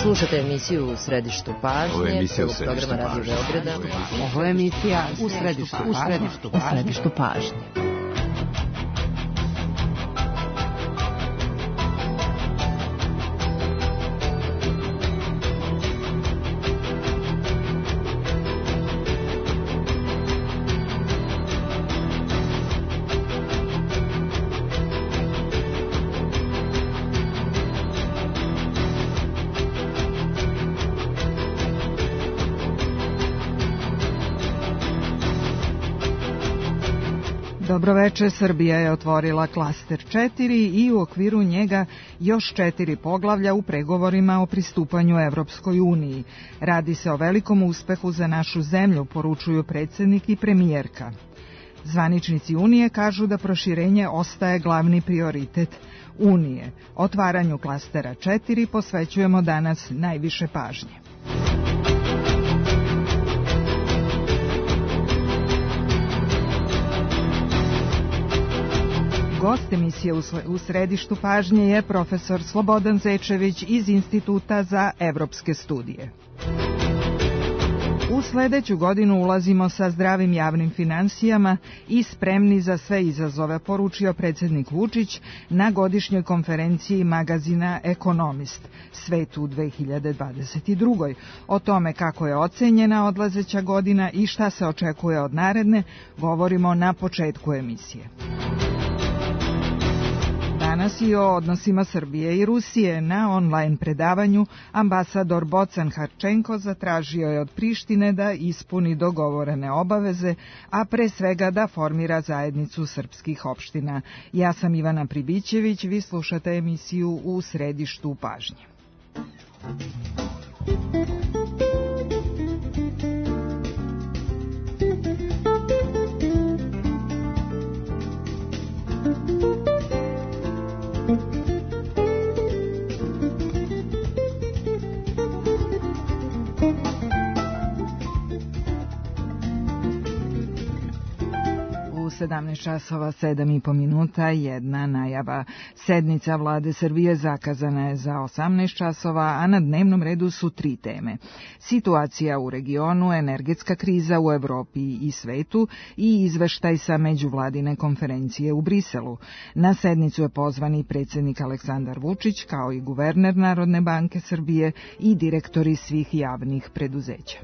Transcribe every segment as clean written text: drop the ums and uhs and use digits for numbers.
Slušate emisiju U središtu pažnje, programa Radio Beograda. Ovo je emisija U središtu pažnje. Dobroveče, Srbija je otvorila klaster 4 i u okviru njega još 4 poglavlja u pregovorima o pristupanju Evropskoj uniji. Radi se o velikom uspehu za našu zemlju, poručuju predsjednik i premijerka. Zvaničnici Unije kažu da proširenje ostaje glavni prioritet Unije. Otvaranju klastera 4 posvećujemo danas najviše pažnje. Gost emisije U središtu pažnje je profesor Slobodan Zečević iz Instituta za evropske studije. U sledeću godinu ulazimo sa zdravim javnim finansijama i spremni za sve izazove, poručio predsjednik Vučić na godišnjoj konferenciji magazina Ekonomist, Svet u 2022. O tome kako je ocenjena odlazeća godina i šta se očekuje od naredne, govorimo na početku emisije. Danas i o odnosima Srbije i Rusije. Na online predavanju ambasador Bocan Harčenko zatražio je od Prištine da ispuni dogovorene obaveze, a pre svega da formira zajednicu srpskih opština. Ja sam Ivana Pribićević, vi slušate emisiju U središtu pažnje. U 17 časova 7,5 minuta jedna najava. Sednica vlade Srbije zakazana je za 18 časova, a na dnevnom redu su 3 teme. Situacija u regionu, energetska kriza u Evropi i svetu i izveštaj sa međuvladine konferencije u Briselu. Na sednicu je pozvan i predsjednik Aleksandar Vučić, kao i guverner Narodne banke Srbije i direktori svih javnih preduzeća.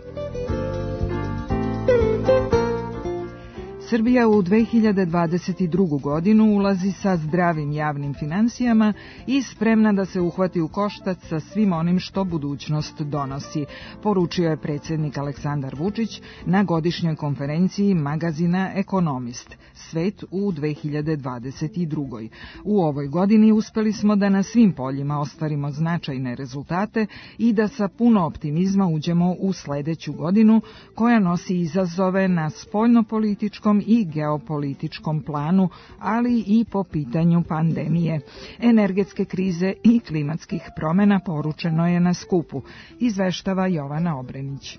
Srbija u 2022. godinu ulazi sa zdravim javnim finansijama i spremna da se uhvati u koštac sa svim onim što budućnost donosi, poručio je predsjednik Aleksandar Vučić na godišnjoj konferenciji magazina Ekonomist, Svet u 2022. U ovoj godini uspeli smo da na svim poljima ostvarimo značajne rezultate i da sa puno optimizma uđemo u sledeću godinu koja nosi izazove na spoljnopolitičkom i geopolitičkom planu, ali i po pitanju pandemije, energetske krize i klimatskih promjena, poručeno je na skupu, izveštava Jovana Obrenić.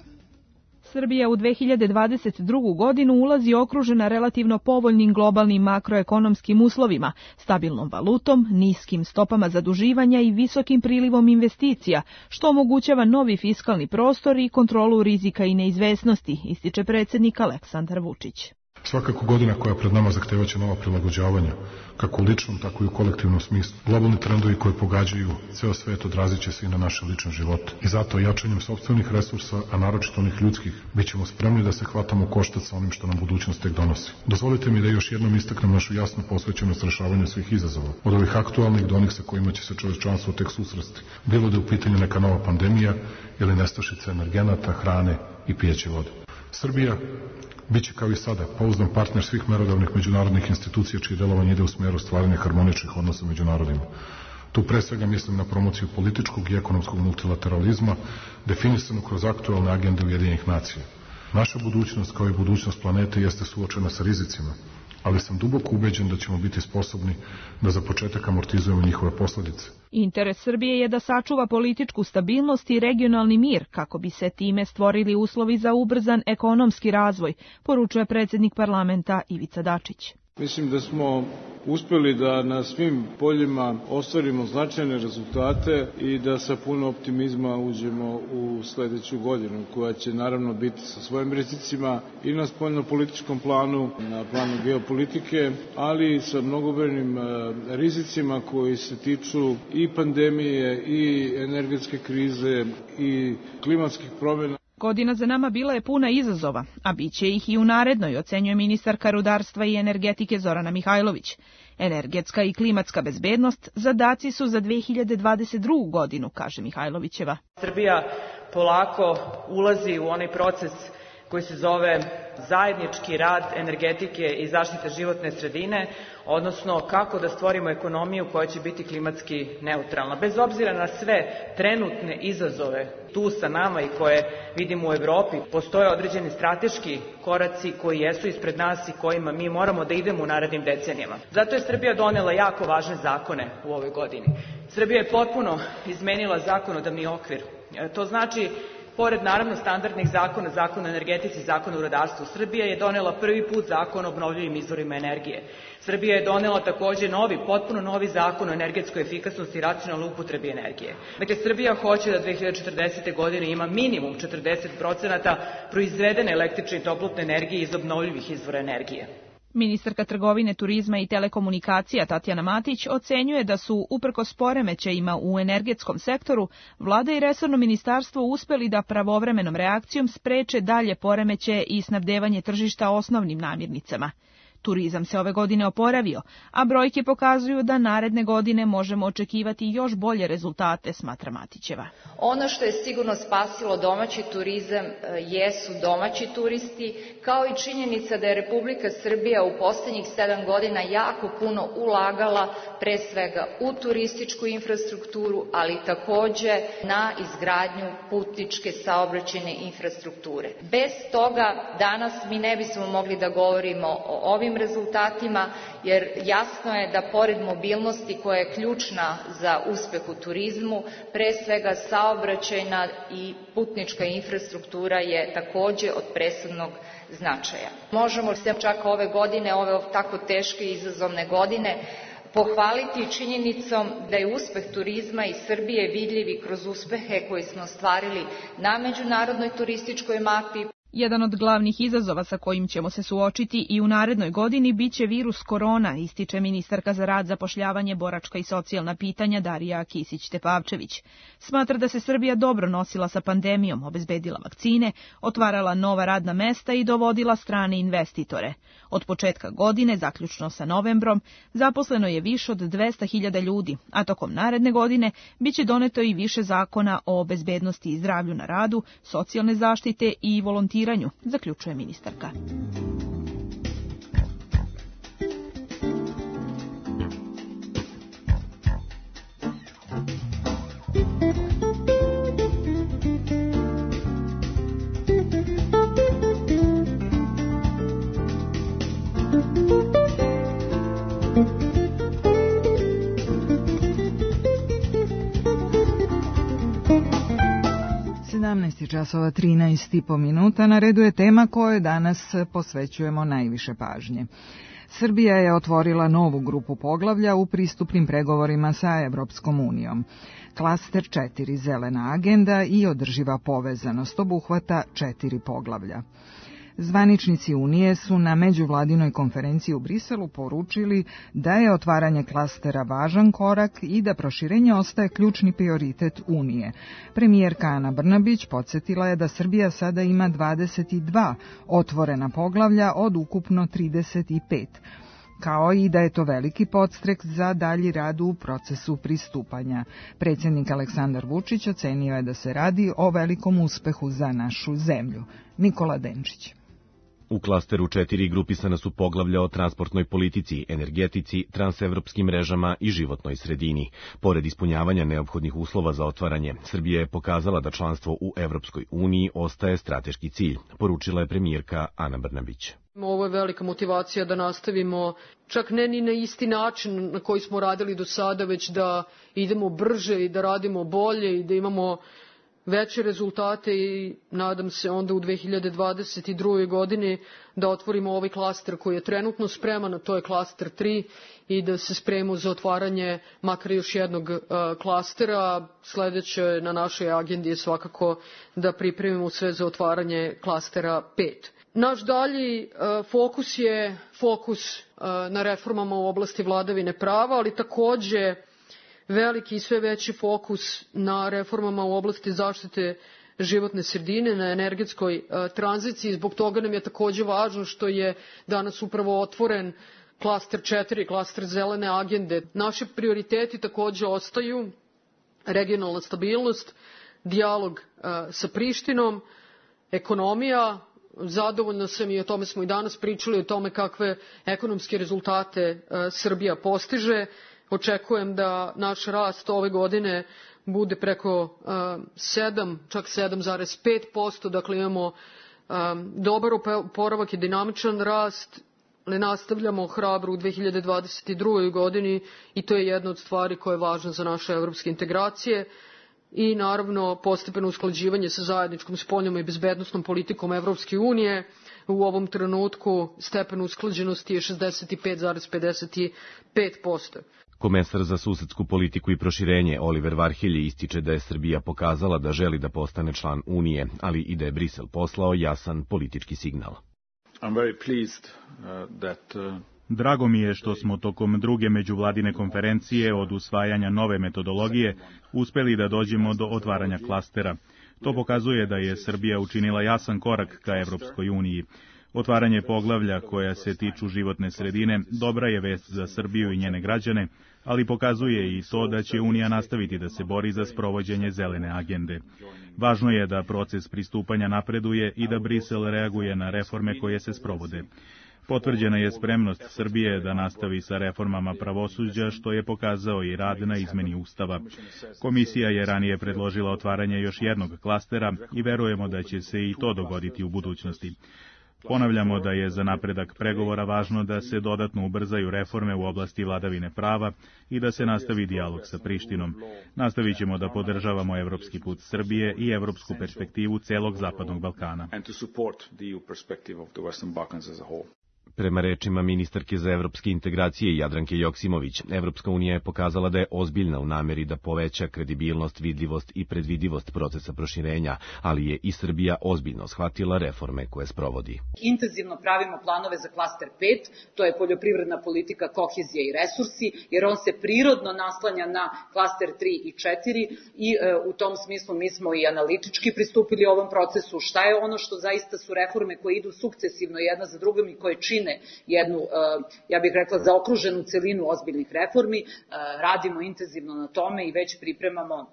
Srbija u 2022. godinu ulazi okružena relativno povoljnim globalnim makroekonomskim uslovima, stabilnom valutom, niskim stopama zaduživanja i visokim prilivom investicija, što omogućava novi fiskalni prostor i kontrolu rizika i neizvesnosti, ističe predsjednik Aleksandar Vučić. Svakako godina koja pred nama zahtevaće nova prilagođavanja, kako u ličnom, tako i u kolektivnom smislu. Globalni trendovi koji pogađaju ceo svet odrazit će se i na naše lične živote. I zato jačanjem sopstvenih resursa, a naročito onih ljudskih, bit ćemo spremni da se hvatamo u koštac sa onim što nam budućnost tek donosi. Dozvolite mi da još jednom istaknem našu jasnu posvećenost rešavanju svih izazova, od ovih aktualnih do onih sa kojima će se čovečanstvo tek susresti. Bilo da je u pitanju neka nova pandemija ili nestašica energenata, hrane i pijeće vode. Srbija biće kao i sada pouzdan partner svih merodavnih međunarodnih institucija čije delovanje ide u smjeru stvaranja harmoničnih odnosa među narodima. Tu pre svega mislim na promociju političkog i ekonomskog multilateralizma definisanu kroz aktualne agende Ujedinjenih nacija. Naša budućnost kao i budućnost planete jeste suočena sa rizicima, ali sam duboko ubeđen da ćemo biti sposobni da za početak amortizujemo njihove posljedice. Interes Srbije je da sačuva političku stabilnost i regionalni mir, kako bi se time stvorili uslovi za ubrzan ekonomski razvoj, poručuje predsjednik parlamenta Ivica Dačić. Mislim da smo uspeli da na svim poljima ostvarimo značajne rezultate i da sa puno optimizma uđemo u sledeću godinu, koja će naravno biti sa svojim rizicima i na spoljno-političkom planu, na planu geopolitike, ali i sa mnogobrojnim rizicima koji se tiču i pandemije, i energetske krize, i klimatskih promjena. Godina za nama bila je puna izazova, a bit će ih i u narednoj, ocenjuje ministarka rudarstva i energetike Zorana Mihajlović. Energetska i klimatska bezbednost zadaci su za 2022. godinu, kaže Mihajlovićeva. Srbija polako ulazi u onaj proces koji se zove zajednički rad energetike i zaštite životne sredine, odnosno kako da stvorimo ekonomiju koja će biti klimatski neutralna. Bez obzira na sve trenutne izazove tu sa nama i koje vidimo u Evropi, postoje određeni strateški koraci koji jesu ispred nas i kojima mi moramo da idemo u narednim decenijama. Zato je Srbija donela jako važne zakone u ovoj godini. Srbija je potpuno izmenila zakonodavni okvir. To znači, pored naravno standardnih zakona, zakon o energetici, zakon o rudarstvu, Srbija je donela prvi put zakon o obnovljivim izvorima energije. Srbija je donela takođe potpuno novi zakon o energetskoj efikasnosti i racionalnoj upotrebi energije. Dakle, Srbija hoće da 2040. godine ima minimum 40% proizvedene električne i toplotne energije iz obnovljivih izvora energije. Ministarka trgovine, turizma i telekomunikacija Tatjana Matić ocenjuje da su, uprkos poremećajima u energetskom sektoru, vlada i resorno ministarstvo uspeli da pravovremenom reakcijom spreče dalje poremećaje i snabdevanje tržišta osnovnim namirnicama. Turizam se ove godine oporavio, a brojke pokazuju da naredne godine možemo očekivati još bolje rezultate, smatra Matićeva. Ono što je sigurno spasilo domaći turizam jesu domaći turisti, kao i činjenica da je Republika Srbija u poslednjih 7 godina jako puno ulagala pre svega u turističku infrastrukturu, ali takođe na izgradnju putničke saobraćajne infrastrukture. Bez toga danas mi ne bismo mogli da govorimo o ovim rezultatima, jer jasno je da pored mobilnosti koja je ključna za uspeh u turizmu, pre svega saobraćajna i putnička infrastruktura je takođe od presudnog značaja. Možemo se čak ove godine, ove tako teške i izazovne godine, pohvaliti činjenicom da je uspeh turizma i Srbije vidljiv i kroz uspehe koje smo ostvarili na međunarodnoj turističkoj mapi. Jedan od glavnih izazova sa kojim ćemo se suočiti i u narednoj godini biće virus korona, ističe ministarka za rad, zapošljavanje, boračka i socijalna pitanja Darija Kisić-Tepavčević. Smatra da se Srbija dobro nosila sa pandemijom, obezbedila vakcine, otvarala nova radna mesta i dovodila strane investitore. Od početka godine, zaključno sa novembrom, zaposleno je više od 200.000 ljudi, a tokom naredne godine biće doneto i više zakona o bezbednosti i zdravlju na radu, socijalne zaštite i volontiranju, zaključuje ministarka. Časova 13,5 minuta. Na redu je tema kojoj danas posvećujemo najviše pažnje. Srbija je otvorila novu grupu poglavlja u pristupnim pregovorima sa Evropskom unijom. Klaster 4, zelena agenda i održiva povezanost, obuhvata 4 poglavlja. Zvaničnici Unije su na međuvladinoj konferenciji u Briselu poručili da je otvaranje klastera važan korak i da proširenje ostaje ključni prioritet Unije. Premijerka Ana Brnabić podsjetila je da Srbija sada ima 22 otvorena poglavlja od ukupno 35, kao i da je to veliki podstrek za dalji rad u procesu pristupanja. Predsjednik Aleksandar Vučić ocenio je da se radi o velikom uspehu za našu zemlju. Nikola Denčić. U klasteru 4 grupisana su poglavlja o transportnoj politici, energetici, transevropskim mrežama i životnoj sredini. Pored ispunjavanja neophodnih uslova za otvaranje, Srbija je pokazala da članstvo u Evropskoj uniji ostaje strateški cilj, poručila je premijerka Ana Brnabić. Ovo je velika motivacija da nastavimo, čak ne ni na isti način na koji smo radili do sada, već da idemo brže i da radimo bolje i da imamo veće rezultate i nadam se onda u 2022. godini da otvorimo ovaj klaster koji je trenutno spreman, a to je klaster 3 i da se spremimo za otvaranje makar još jednog klastera. Sledeće na našoj agendi je svakako da pripremimo sve za otvaranje klastera 5. Naš dalji fokus je fokus na reformama u oblasti vladavine prava, ali takođe veliki i sve veći fokus na reformama u oblasti zaštite životne sredine, na energetskoj tranziciji. Zbog toga nam je takođe važno što je danas upravo otvoren klaster 4, klaster zelene agende. Naši prioriteti takođe ostaju regionalna stabilnost, dijalog sa Prištinom, ekonomija. Zadovoljna sam i o tome smo i danas pričali, o tome kakve ekonomske rezultate Srbija postiže. Očekujem da naš rast ove godine bude preko 7, čak 7,5%, dakle imamo dobar oporavak i dinamičan rast, ali nastavljamo hrabro u 2022. godini i to je jedna od stvari koja je važna za naše evropske integracije i naravno postepeno usklađivanje sa zajedničkom spoljnom i bezbednosnom politikom Evropske unije. U ovom trenutku stepen usklađenosti je 65,55%. Komesar za susedsku politiku i proširenje Oliver Varhelji ističe da je Srbija pokazala da želi da postane član Unije, ali i da je Brisel poslao jasan politički signal. Drago mi je što smo tokom druge međuvladine konferencije od usvajanja nove metodologije uspeli da dođemo do otvaranja klastera. To pokazuje da je Srbija učinila jasan korak ka Evropskoj uniji. Otvaranje poglavlja koja se tiču životne sredine dobra je vest za Srbiju i njene građane, ali pokazuje i to da će Unija nastaviti da se bori za sprovođenje zelene agende. Važno je da proces pristupanja napreduje i da Brisel reaguje na reforme koje se sprovode. Potvrđena je spremnost Srbije da nastavi sa reformama pravosuđa, što je pokazao i rad na izmeni Ustava. Komisija je ranije predložila otvaranje još jednog klastera i verujemo da će se i to dogoditi u budućnosti. Ponavljamo da je za napredak pregovora važno da se dodatno ubrzaju reforme u oblasti vladavine prava i da se nastavi dijalog sa Prištinom. Nastavit ćemo da podržavamo evropski put Srbije i evropsku perspektivu celog Zapadnog Balkana. Prema rečima ministarke za evropske integracije Jadranke Joksimović, Evropska unija je pokazala da je ozbiljna u nameri da poveća kredibilnost, vidljivost i predvidivost procesa proširenja, ali je i Srbija ozbiljno shvatila reforme koje sprovodi. Intenzivno pravimo planove za klaster 5, to je poljoprivredna politika, kohezija i resursi, jer on se prirodno naslanja na klaster 3 i 4 i u tom smislu mi smo i analitički pristupili ovom procesu. Šta je ono što zaista su reforme koje idu sukcesivno jedna za drugom i koje čine jednu, ja bih rekla, zaokruženu celinu ozbiljnih reformi. Radimo intenzivno na tome i već pripremamo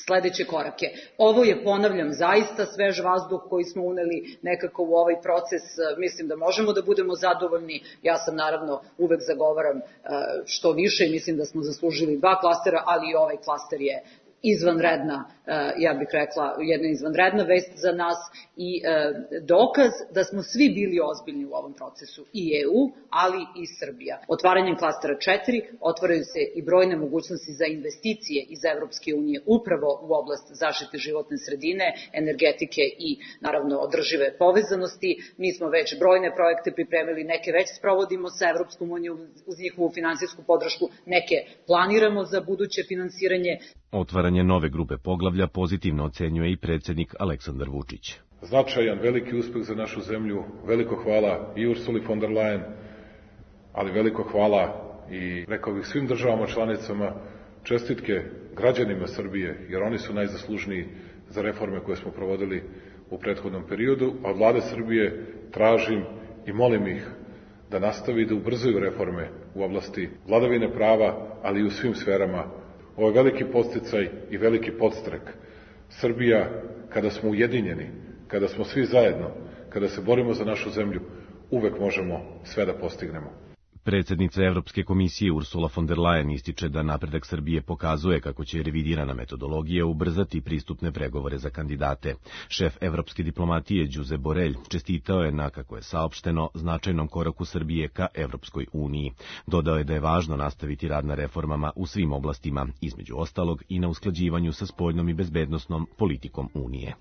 sledeće korake. Ovo je, ponavljam, zaista svež vazduh koji smo uneli nekako u ovaj proces. Mislim da možemo da budemo zadovoljni. Ja sam naravno uvek zagovaram što više i mislim da smo zaslužili 2 klastera, ali i ovaj klaster je izvanredna, ja bih rekla, jedna izvanredna vest za nas i dokaz da smo svi bili ozbiljni u ovom procesu, i EU, ali i Srbija. Otvaranjem klastera 4 otvaraju se i brojne mogućnosti za investicije iz Evropske unije upravo u oblast zaštite životne sredine, energetike i naravno održive povezanosti. Mi smo već brojne projekte pripremili, neke već sprovodimo sa Evropskom unijom uz njihovu finansijsku podršku, neke planiramo za buduće finansiranje. Otvaranje nove grupe poglavlja pozitivno ocenjuje i predsjednik Aleksandar Vučić. Značajan, veliki uspeh za našu zemlju, veliko hvala i Ursuli von der Leyen, ali veliko hvala i, rekao bih, svim državama članicama, čestitke građanima Srbije, jer oni su najzaslužniji za reforme koje smo provodili u prethodnom periodu, a od vlade Srbije tražim i molim ih da nastavi da ubrzaju reforme u oblasti vladavine prava, ali i u svim sferama. Ovo je veliki podsticaj i veliki podstrek. Srbija, kada smo ujedinjeni, kada smo svi zajedno, kada se borimo za našu zemlju, uvek možemo sve da postignemo. Predsjednica Evropske komisije Ursula von der Leyen ističe da napredak Srbije pokazuje kako će revidirana metodologija ubrzati pristupne pregovore za kandidate. Šef evropske diplomatije Josep Borrell čestitao je na, kako je saopšteno, značajnom koraku Srbije ka Evropskoj uniji. Dodao je da je važno nastaviti rad na reformama u svim oblastima, između ostalog i na usklađivanju sa spoljnom i bezbednosnom politikom Unije.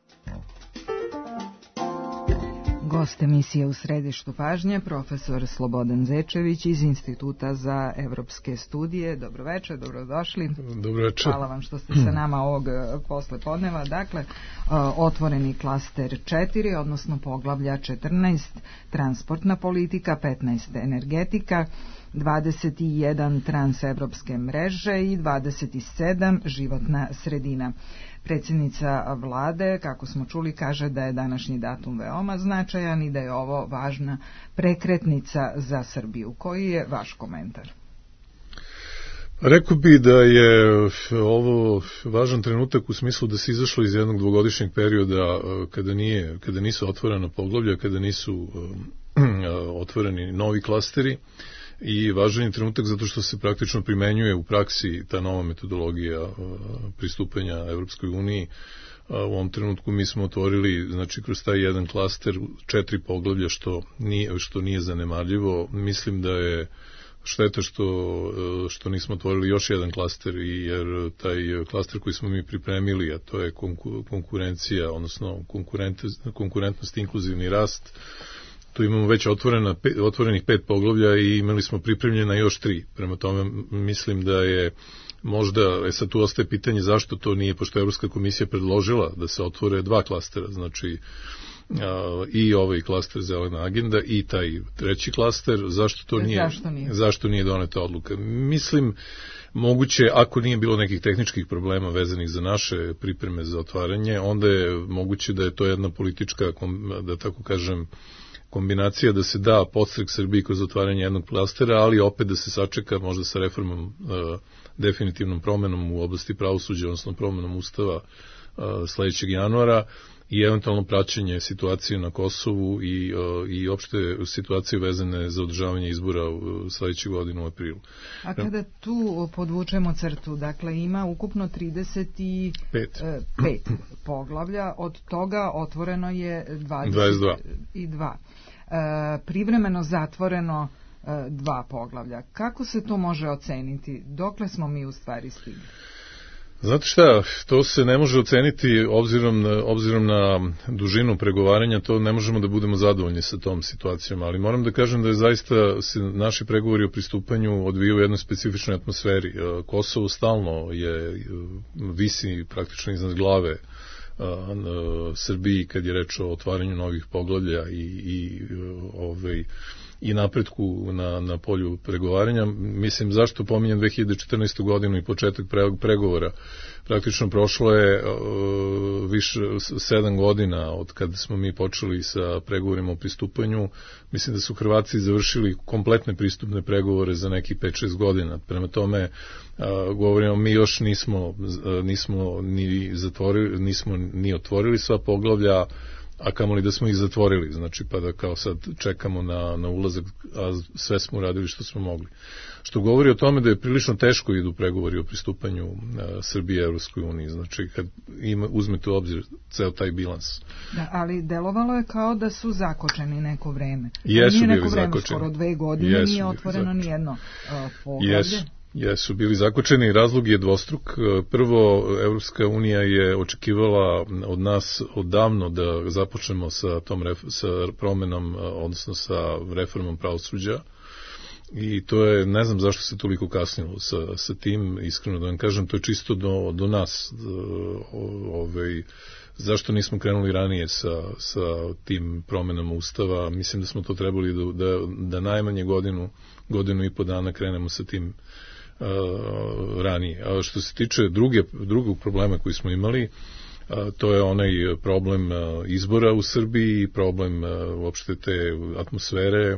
Gost emisije U središtu pažnje, profesor Slobodan Zečević iz Instituta za evropske studije. Dobro večer, dobrodošli. Dobro večer. Hvala vam što ste sa nama ovog poslepodneva. Dakle, otvoreni klaster 4, odnosno poglavlja 14, transportna politika, 15 energetika, 21 transevropske mreže i 27 životna sredina. Predsjednica vlade, kako smo čuli, kaže da je današnji datum veoma značajan i da je ovo važna prekretnica za Srbiju. Koji je vaš komentar? Rekao bi da je ovo važan trenutak u smislu da se izašlo iz jednog dvogodišnjeg perioda kada nisu otvorena poglavlja, kada nisu otvoreni novi klasteri, i važan je trenutak zato što se praktično primenjuje u praksi ta nova metodologija pristupanja Evropskoj uniji. U ovom trenutku mi smo otvorili, znači, kroz taj jedan klaster 4 poglavlja, što nije zanemarljivo. Mislim da je šteta što nismo otvorili još jedan klaster, jer taj klaster koji smo mi pripremili, a to je konkurencija, odnosno konkurentnost, inkluzivni rast, tu imamo već otvorenih 5 poglavlja i imali smo pripremljena još 3. Prema tome mislim da je možda, sad tu ostaje pitanje zašto to nije, pošto je Evropska komisija predložila da se otvore 2 klastera, znači i ovaj klaster Zelena agenda i taj treći klaster, zašto nije doneta odluka. Mislim, moguće, ako nije bilo nekih tehničkih problema vezanih za naše pripreme za otvaranje, onda je moguće da je to jedna politička, da tako kažem, kombinacija da se da podstrek Srbiji kroz otvaranje jednog klastera, ali opet da se sačeka možda sa reformom, definitivnom promenom u oblasti pravosuđa, odnosno promenom ustava sledećeg januara i eventualno praćenje situacije na Kosovu i opšte situacije vezane za održavanje izbora sledeće godine u aprilu. A kada tu podvučemo crtu, dakle ima ukupno 35 poglavlja, od toga otvoreno je 22. Privremeno zatvoreno 2 poglavlja. Kako se to može oceniti? Dokle smo mi u stvari stigli? Znate šta, to se ne može oceniti obzirom na dužinu pregovaranja, to ne možemo da budemo zadovoljni sa tom situacijom, ali moram da kažem da je zaista se naši pregovori o pristupanju odvijaju u jednoj specifičnoj atmosferi. Kosovo stalno visi praktično iznad glave Srbiji kad je reč o otvaranju novih poglavlja i napretku na polju pregovaranja. Mislim, zašto pominjem 2014. godinu i početak pregovora? Praktično prošlo je više 7 godina od kada smo mi počeli sa pregovorima o pristupanju. Mislim da su Hrvati završili kompletne pristupne pregovore za nekih 5-6 godina. Prema tome, govorimo, mi još nismo ni otvorili sva poglavlja, a kamoli da smo ih zatvorili, znači pa da kao sad čekamo na ulazak, a sve smo uradili što smo mogli. Što govori o tome da je prilično teško idu pregovori o pristupanju Srbije Evropskoj uniji, znači kad uzmete u obzir ceo taj bilans. Da, ali delovalo je kao da su zakočeni neko vreme. Jesu bili zakočeni. Skoro 2 godine nije otvoreno ni jedno poglavlje. Jesu bili zakočeni, razlog je dvostruk. Prvo, Evropska unija je očekivala od nas odavno da započnemo sa promenom, odnosno sa reformom pravosuđa, i to je, ne znam zašto se toliko kasnilo sa tim, iskreno da vam kažem, to je čisto do nas. Zašto nismo krenuli ranije sa tim promenama ustava? Mislim da smo to trebali da najmanje godinu i po dana krenemo sa tim ranije. A što se tiče drugog problema koji smo imali, to je onaj problem izbora u Srbiji, problem uopšte te atmosfere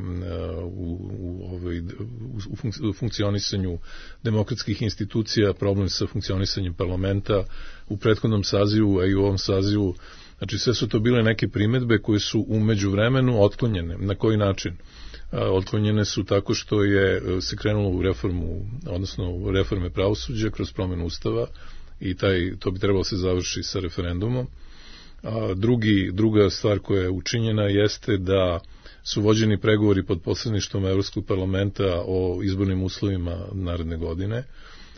u funkcionisanju demokratskih institucija, problem sa funkcionisanjem parlamenta u prethodnom sazivu, a i u ovom sazivu. Znači sve su to bile neke primedbe koje su u međuvremenu otklonjene. Na koji način? otklonjene su tako što se krenulo u reformu, odnosno u reforme pravosuđa kroz promjenu ustava i to bi trebalo se završi sa referendumom. Druga stvar koja je učinjena jeste da su vođeni pregovori pod posredništvom Evropskog parlamenta o izbornim uslovima naredne godine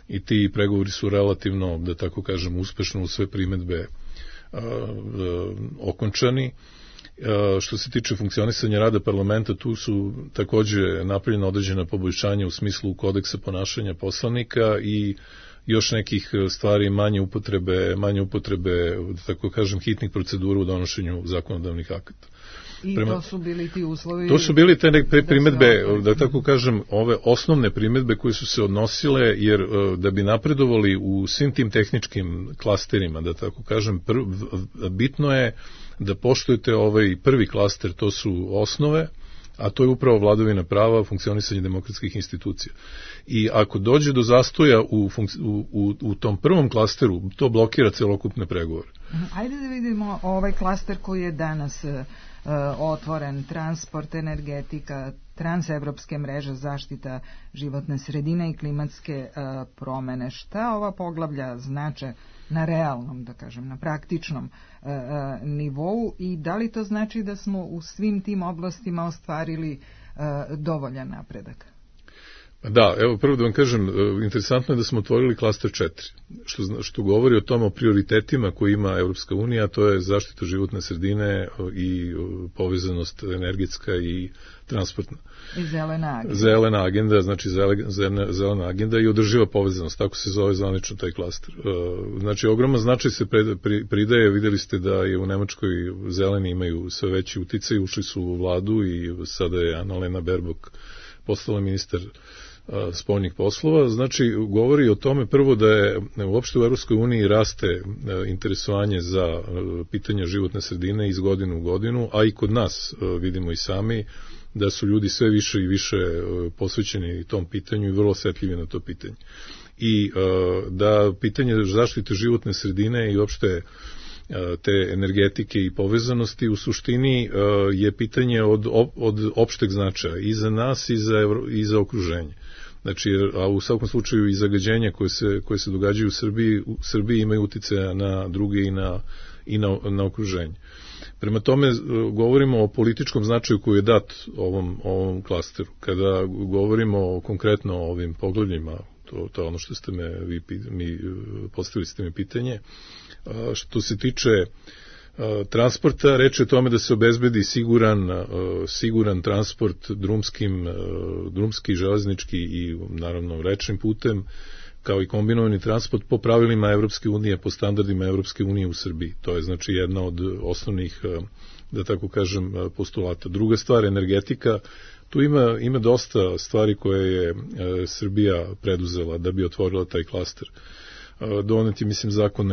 i ti pregovori su relativno, da tako kažem, uspešno u sve primedbe okončani. Što se tiče funkcionisanja rada parlamenta, tu su takođe napravljena određena poboljšanja u smislu kodeksa ponašanja poslanika i još nekih stvari manje upotrebe, da tako kažem, hitnih procedura u donošenju zakonodavnih akata. I to su bili ti uslovi? To su bili te primedbe, da tako kažem, ove osnovne primedbe koje su se odnosile, jer da bi napredovali u svim tim tehničkim klasterima, da tako kažem, bitno je da poštujete ovaj prvi klaster, to su osnove, a to je upravo vladavina prava, funkcionisanje demokratskih institucija. I ako dođe do zastoja u tom prvom klasteru, to blokira celokupne pregovore. Ajde da vidimo ovaj klaster koji je danas otvoren, transport, energetika, transevropske mreže, zaštita životne sredine i klimatske promene. Šta ova poglavlja znače na realnom, da kažem, na praktičnom nivou i da li to znači da smo u svim tim oblastima ostvarili dovoljan napredak? Da, evo prvo da vam kažem, interesantno je da smo otvorili klaster 4, što govori o tome o prioritetima koje ima Evropska unija, to je zaštita životne sredine i povezanost energetska i transportna. I zelena agenda. Zelena agenda, znači zelena agenda i održiva povezanost, tako se zove zvanično taj klaster. Znači, ogroman značaj se pridaje, vidjeli ste da je u Nemačkoj zeleni imaju sve veći uticaj, ušli su u vladu i sada je Annalena Baerbock postala ministar spoljnih poslova, znači govori o tome prvo da je uopšte u Evropskoj uniji raste interesovanje za pitanja životne sredine iz godine u godinu, a i kod nas vidimo i sami da su ljudi sve više i više posvećeni tom pitanju i vrlo osjetljivi na to pitanje. I da pitanje zaštite životne sredine i uopšte te energetike i povezanosti u suštini je pitanje od opšteg značaja i za nas i za okruženje. Znači, a u svakom slučaju i zagađenja koje se događaju u Srbiji imaju uticaja na druge i na okruženje. Prema tome, govorimo o političkom značaju koji je dat ovom klasteru. Kada govorimo konkretno o ovim poglavljima, to je ono što ste postavili ste mi pitanje, što se tiče transporta, reč je o tome da se obezbedi siguran transport drumski, železnički i naravno rečnim putem, kao i kombinovani transport po pravilima Evropske unije, po standardima Evropske unije u Srbiji. To je znači jedna od osnovnih, da tako kažem, postulata. Druga stvar, energetika. Tu ima dosta stvari koje je Srbija preduzela da bi otvorila taj klaster. Doneti, mislim, zakon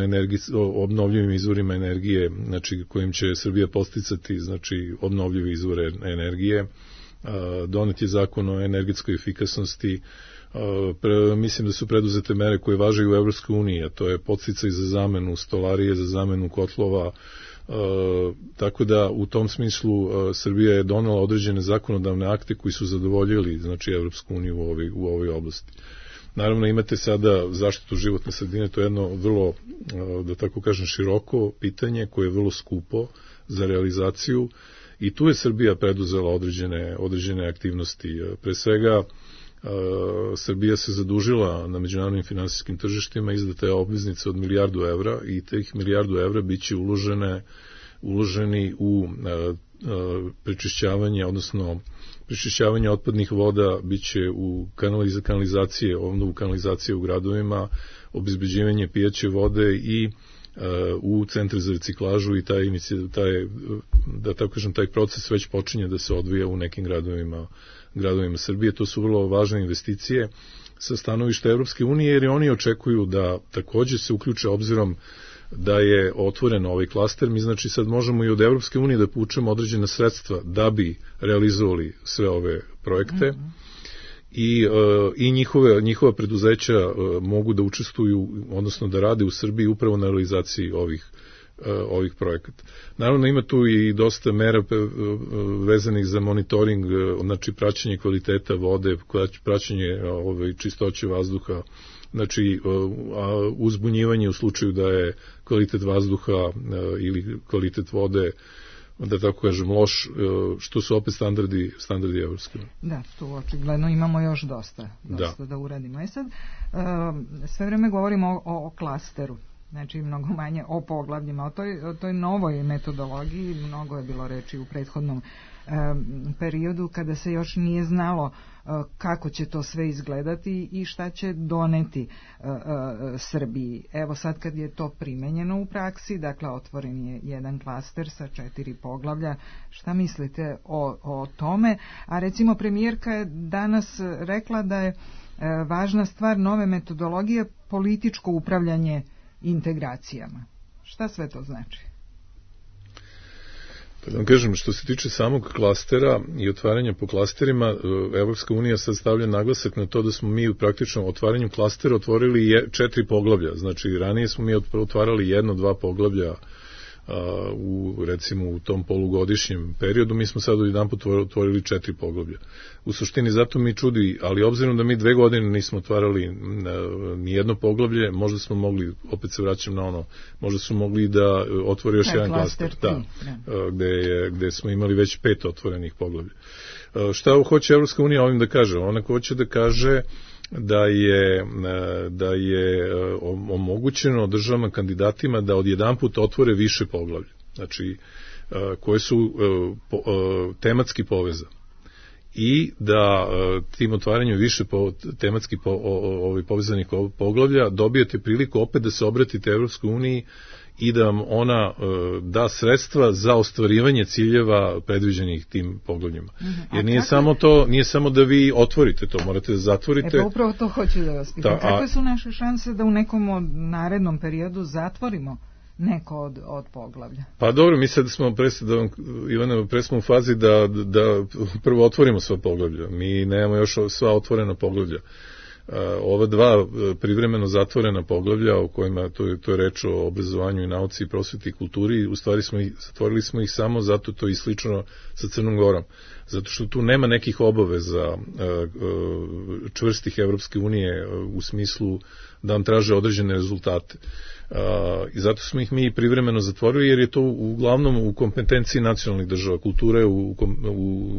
o obnovljivim izvorima energije, znači kojim će Srbija posticati, znači, obnovljive izvore energije. Doneti je zakon o energetskoj efikasnosti. Mislim da su preduzete mere koje važe u Evropskoj uniji, a to je podsticaj za zamenu stolarije, za zamenu kotlova. Tako da u tom smislu Srbija je donela određene zakonodavne akte koji su zadovoljili, znači, Evropsku uniju u ovoj oblasti. Naravno, imate sada zaštitu životne sredine, to je jedno vrlo, da tako kažem, široko pitanje koje je vrlo skupo za realizaciju i tu je Srbija preduzela određene aktivnosti. Pre svega, Srbija se zadužila na međunarodnim finansijskim tržištima, izdata je obveznica od €1.000.000 i tih €1.000.000 biće uloženi u prečišćavanje, odnosno prečišćavanje otpadnih voda, biće u kanalizacije, obnovu kanalizacije u gradovima, obezbeđivanje pijaće vode i u centre za reciklažu i taj proces već počinje da se odvija u nekim gradovima Srbije. To su vrlo važne investicije sa stanovišta Evropske unije, jer oni očekuju da takođe se uključe, obzirom da je otvoren ovaj klaster. Mi znači sad možemo i od Evropske unije da povučemo određena sredstva da bi realizovali sve ove projekte i njihova preduzeća mogu da učestvuju, odnosno da rade u Srbiji upravo na realizaciji ovih projekata. Naravno ima tu i dosta mera vezanih za monitoring, znači praćenje kvaliteta vode, praćenje čistoće vazduha, znači uzbunjivanje u slučaju da je kvalitet vazduha ili kvalitet vode, da tako kažem, loš, što su opet standardi evropske. Da, tu očigledno imamo još dosta da uradimo. Sad, sve vreme govorimo o klasteru, znači mnogo manje o poglavljima, o toj novoj metodologiji, mnogo je bilo reči u prethodnom periodu kada se još nije znalo kako će to sve izgledati i šta će doneti Srbiji. Evo sad kad je to primenjeno u praksi, dakle otvoren je jedan klaster sa 4 poglavlja, šta mislite o tome? A recimo premijerka je danas rekla da je važna stvar nove metodologije političko upravljanje integracijama. Šta sve to znači? Pa da vam kažem, što se tiče samog klastera i otvaranja po klasterima, Evropska unija sad stavlja naglasak na to da smo mi u praktičnom otvaranju klastera otvorili 4 poglavlja. Znači, ranije smo mi otvarali 1-2 poglavlja recimo u tom polugodišnjem periodu, mi smo sad jedanput otvorili 4 poglavlja. U suštini zato mi čudi, ali obzirom da mi 2 godine nismo otvarali ni jedno poglavlje, možda smo mogli, opet se vraćam na ono, možda su mogli da otvori još jedan klaster, gde smo imali već 5 otvorenih poglavlja. Šta hoće Evropska unija ovim da kaže? Ona hoće da kaže da je omogućeno državama kandidatima da odjedanput otvore više poglavlja, znači koje su tematski povezane i da tim otvaranjem više tematski povezanih poglavlja dobijete priliku opet da se obratite Evropskoj uniji i da vam ona da sredstva za ostvarivanje ciljeva predviđenih tim poglavljima. Jer nije samo da vi otvorite to, morate da zatvorite. Pa upravo to hoću da vas pitam. Kakve su naše šanse da u nekom narednom periodu zatvorimo neko od poglavlja? Pa dobro, mi sad smo u fazi da prvo otvorimo sva poglavlja. Mi nemamo još sva otvorena poglavlja. Ova 2 privremeno zatvorena poglavlja o kojima to je reč o obrazovanju i nauci, prosveti i kulturi, u stvari zatvorili smo ih samo zato to je slično sa Crnom Gorom, zato što tu nema nekih obaveza čvrstih Evropske unije u smislu da vam traže određene rezultate. I zato smo ih mi privremeno zatvorili, jer je to uglavnom u kompetenciji nacionalnih država. Kultura je u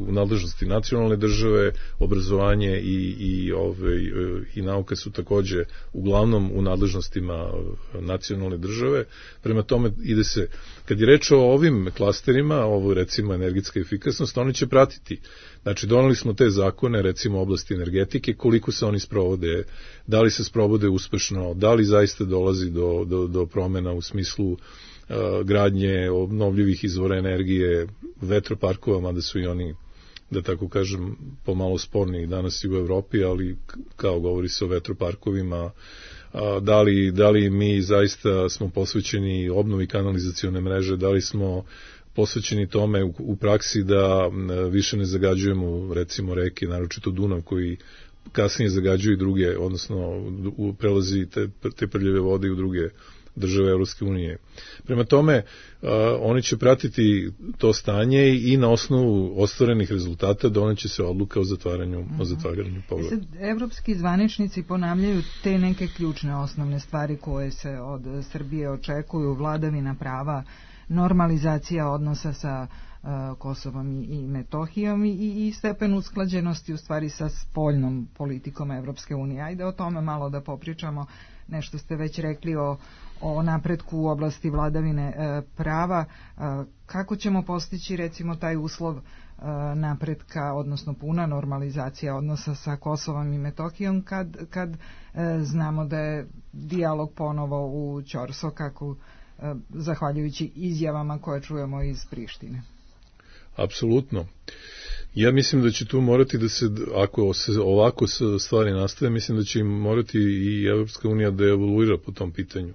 nadležnosti nacionalne države, obrazovanje i nauka su takođe uglavnom u nadležnostima nacionalne države. Prema tome ide se, kad je reč o ovim klasterima, ovo recimo energetska efikasnost, oni će pratiti. Znači, doneli smo te zakone, recimo oblasti energetike, koliko se oni sprovode, da li se sprovode uspešno, da li zaista dolazi do promena u smislu gradnje obnovljivih izvora energije, vetroparkova, mada su i oni, da tako kažem, pomalo sporni danas i u Evropi, ali kao govori se o vetroparkovima, da li mi zaista smo posvećeni obnovi kanalizacione mreže, da li smo posvećeni tome u praksi da više ne zagađujemo recimo reke, naročito Dunav koji kasnije zagađuju i druge, odnosno prelazi te prljave vode u druge države Evropske unije. Prema tome, oni će pratiti to stanje i na osnovu ostvarenih rezultata doneće se odluka o zatvaranju poglavlja. Evropski zvaničnici ponavljaju te neke ključne osnovne stvari koje se od Srbije očekuju: vladavina prava, normalizacija odnosa sa Kosovom i Metohijom i stepen usklađenosti u stvari sa spoljnom politikom Evropske unije. Ajde o tome malo da popričamo. Nešto ste već rekli o napretku u oblasti vladavine prava. Kako ćemo postići recimo taj uslov napretka, odnosno puna normalizacija odnosa sa Kosovom i Metohijom kad znamo da je dijalog ponovo u ćorsokaku zahvaljujući izjavama koje čujemo iz Prištine? Apsolutno. Ja mislim da će tu morati da se, ako se ovako stvari nastave, mislim da će im morati i Evropska unija da evoluira po tom pitanju.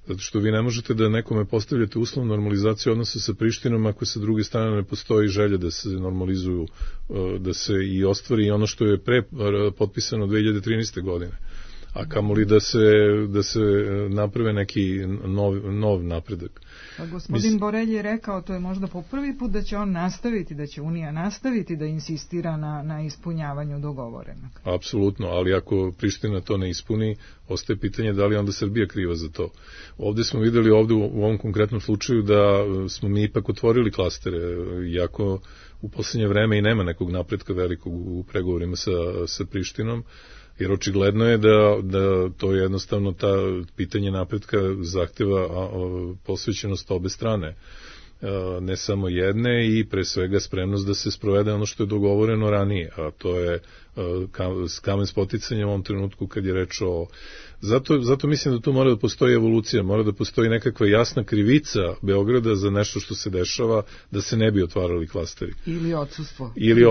Zato što vi ne možete da nekome postavljate uslov normalizacije odnosa sa Prištinom ako sa druge strane ne postoji želja da se normalizuju, da se i ostvari ono što je potpisano 2013. godine. a kamoli da se naprave neki nov napredak. Gospodin Borelj je rekao, to je možda po prvi put, da će on nastaviti, da će Unija nastaviti da insistira na ispunjavanju dogovorenog. Apsolutno, ali ako Priština to ne ispuni, ostaje pitanje da li onda Srbija kriva za to. Ovdje smo videli u ovom konkretnom slučaju da smo mi ipak otvorili klastere, iako u posljednje vreme i nema nekog napretka velikog u pregovorima sa Prištinom, jer očigledno je da to jednostavno ta pitanje napretka zahteva posvećenost obe strane, ne samo jedne, i pre svega spremnost da se sprovede ono što je dogovoreno ranije, a to je kamen spoticanja u ovom trenutku kad je reč o... Zato mislim da tu mora da postoji evolucija, mora da postoji nekakva jasna krivica Beograda za nešto što se dešava, da se ne bi otvarali klasteri. Ili odsustvo. Ili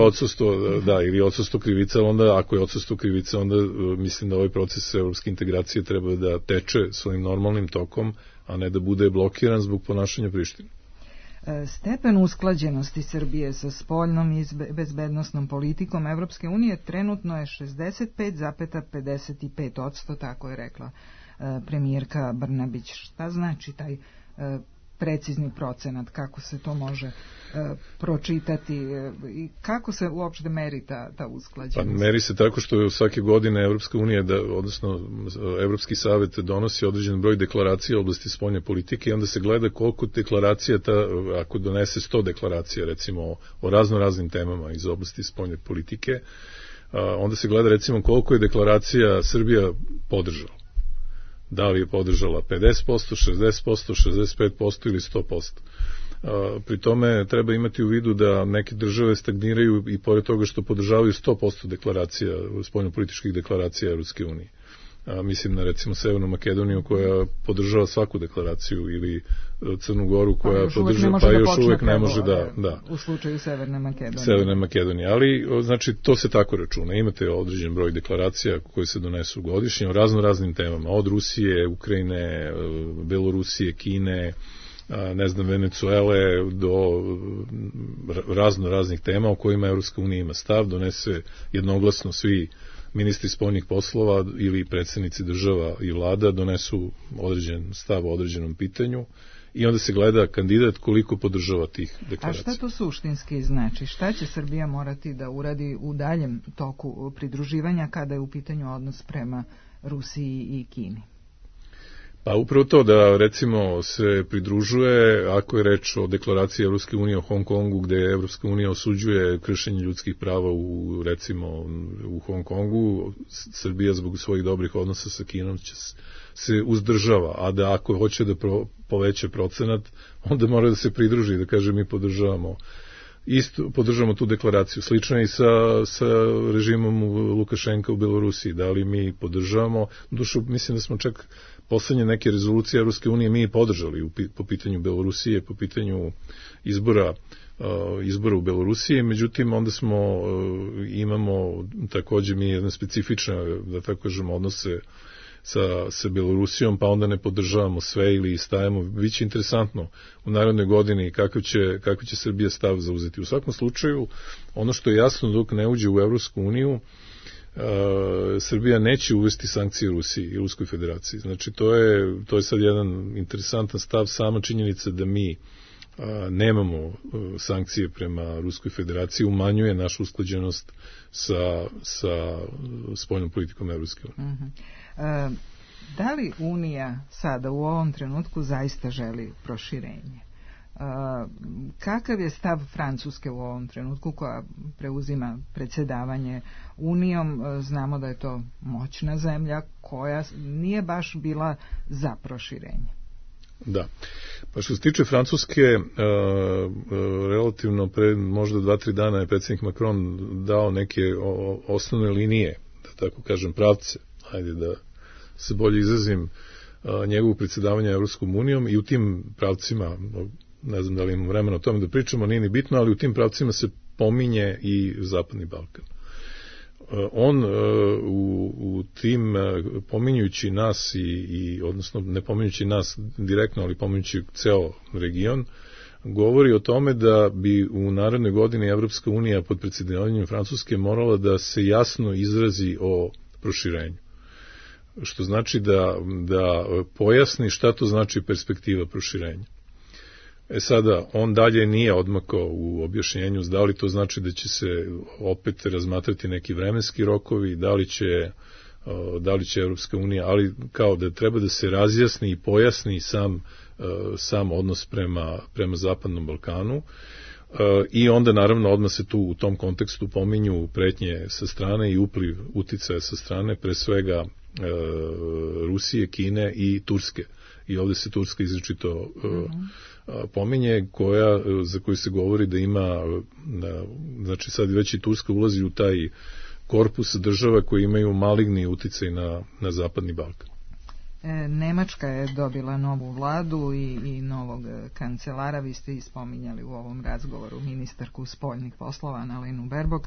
odsustvo krivica, onda ako je odsustvo krivica, onda mislim da ovaj proces evropske integracije treba da teče svojim normalnim tokom, a ne da bude blokiran zbog ponašanja Prištine. Stepen usklađenosti Srbije sa spoljnom i bezbednosnom politikom Evropske unije trenutno je 65,55%, tako je rekla premijerka Brnabić. Šta znači taj precizni procenat, kako se to može pročitati i kako se uopšte meri ta usklađenost? Meri se tako što svake godine Evropska unija, odnosno Evropski savjet donosi određen broj deklaracija u oblasti spoljne politike i onda se gleda koliko deklaracija, ako donese 100 deklaracija recimo o raznim temama iz oblasti spoljne politike, onda se gleda recimo koliko je deklaracija Srbija podržala. Da li je podržala 50%, 60%, 65% ili 100%. Pri tome treba imati u vidu da neke države stagniraju i pored toga što podržavaju 100% deklaracija, spoljnopolitičkih deklaracija Evropske unije. Mislim na recimo Severnu Makedoniju koja podržava svaku deklaraciju, ili Crnu Goru koja podržava, pa još uvek ne može da. U slučaju Severne Makedonije. Ali znači to se tako računa. Imate određen broj deklaracija koje se donesu godišnje o raznim temama, od Rusije, Ukrajine, Belorusije, Kine, Venecuele, do raznih tema o kojima Evropska unija ima stav, donese jednoglasno svi ministri spoljnih poslova ili predsjednici država i vlada donesu određen stav o određenom pitanju i onda se gleda kandidat koliko podržava tih deklaracija. A šta to suštinski znači? Šta će Srbija morati da uradi u daljem toku pridruživanja kada je u pitanju odnos prema Rusiji i Kini? Pa upravo to da recimo se pridružuje, ako je reč o deklaraciji Evropske unije o Hong Kongu, gde Evropska unija osuđuje kršenje ljudskih prava u Hong Kongu, Srbija zbog svojih dobrih odnosa sa Kinom će se uzdržava, a da ako hoće da poveća procenat, onda mora da se pridruži, da kaže mi podržavamo tu deklaraciju. Slično je i sa režimom Lukašenka u Belorusiji. Da li mi podržavamo? Mislim da smo čak poslednje neke rezolucije Evropske unije mi podržali po pitanju Belorusije, po pitanju izbora u Belorusiji, međutim onda imamo takođe mi jedne specifične, da tako kažemo, odnose sa Belorusijom, pa onda ne podržavamo sve ili stajemo. Biće interesantno u narednoj godini kako će Srbija stav zauzeti. U svakom slučaju, ono što je jasno, dok ne uđe u Evropsku uniju, Srbija neće uvesti sankcije Rusiji i Ruskoj federaciji. Znači, to je sad jedan interesantan stav, sama činjenica da mi nemamo sankcije prema Ruskoj federaciji umanjuje našu usklađenost sa spoljnom politikom Evropske unije. Da li Unija sada u ovom trenutku zaista želi proširenje? Kakav je stav Francuske u ovom trenutku koja preuzima predsjedavanje Unijom? Znamo da je to moćna zemlja koja nije baš bila za proširenje. Da. Pa što se tiče Francuske, relativno pre možda 2-3 dana je predsjednik Macron dao neke osnovne linije, da tako kažem pravce, ajde da se bolje izrazim, njegovog predsjedavanja Evropskom unijom, i u tim pravcima, ne znam da li imamo vremena o tome da pričamo, nije ni bitno, ali u tim pravcima se pominje i Zapadni Balkan. On u tim, pominjujući nas odnosno ne pominjući nas direktno, ali pominjući ceo region, govori o tome da bi u narednoj godini Evropska unija pod predsjedavanjem Francuske morala da se jasno izrazi o proširenju. što znači da pojasni šta to znači perspektiva proširenja. Sada, on dalje nije odmakao u objašnjenju da li to znači da će se opet razmatrati neki vremenski rokovi, da li će Evropska unija, ali kao da treba da se razjasni i pojasni sam odnos prema Zapadnom Balkanu. I onda naravno odmah se tu u tom kontekstu pominju pretnje sa strane i upliv uticaja sa strane, pre svega Rusije, Kine i Turske. I ovde se Turska izričito pominje, za koju se govori da ima, znači sad već i Turska ulazi u taj korpus država koji imaju maligni uticaj na Zapadni Balkan. Nemačka je dobila novu vladu i novog kancelara, vi ste i spominjali u ovom razgovoru ministarku spoljnih poslova Annalenu Baerbock,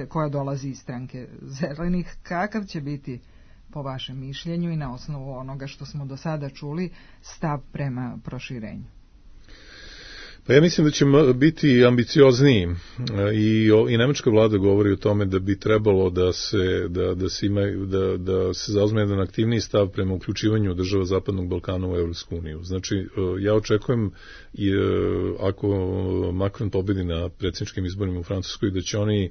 koja dolazi iz stranke Zelenih, kakav će biti po vašem mišljenju i na osnovu onoga što smo do sada čuli stav prema proširenju? Pa ja mislim da će biti ambiciozniji i nemačka vlada govori o tome da bi trebalo da se zauzme jedan aktivniji stav prema uključivanju država Zapadnog Balkana u Evropsku uniju. Znači, ja očekujem ako Macron pobedi na predsjedničkim izborima u Francuskoj, da će oni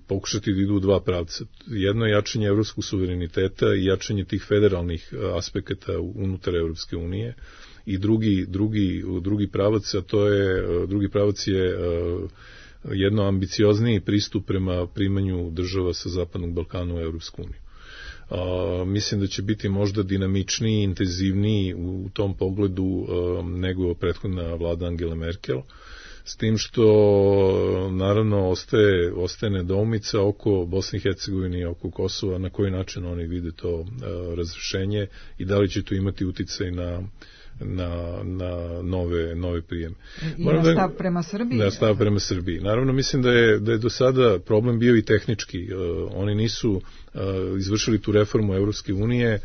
pokušati da idu u dva pravca. Jedno je jačanje evropskog suvereniteta i jačanje tih federalnih aspekata unutar Evropske unije. I drugi pravac je jedno ambiciozniji pristup prema primanju država sa Zapadnog Balkana u Evropsku uniju. Mislim da će biti možda dinamičniji, intenzivniji u tom pogledu nego prethodna vlada Angele Merkel, s tim što naravno ostaje nedoumica oko Bosne i Hercegovine i oko Kosova, na koji način oni vide to razrešenje i da li će to imati uticaj na nove prijeme. I na stav prema Srbiji? Na stav prema Srbiji. Naravno, mislim da je do sada problem bio i tehnički. Oni nisu izvršili tu reformu Evropske unije.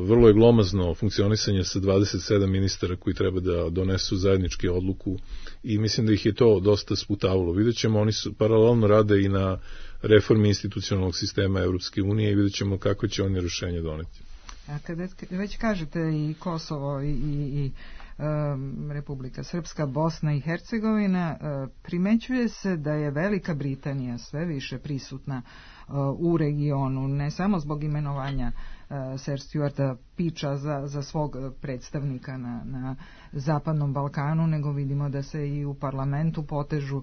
Vrlo je glomazno funkcionisanje sa 27 ministara koji treba da donesu zajednički odluku i mislim da ih je to dosta sputavalo. Vidjet ćemo, oni paralelno rade i na reformi institucionalnog sistema Evropske unije i vidjet ćemo kako će oni rješenje doneti. A kada već kažete i Kosovo i Republika Srpska, Bosna i Hercegovina, primećuje se da je Velika Britanija sve više prisutna u regionu, ne samo zbog imenovanja Sir Stuarta Peacha za svog predstavnika na Zapadnom Balkanu, nego vidimo da se i u parlamentu potežu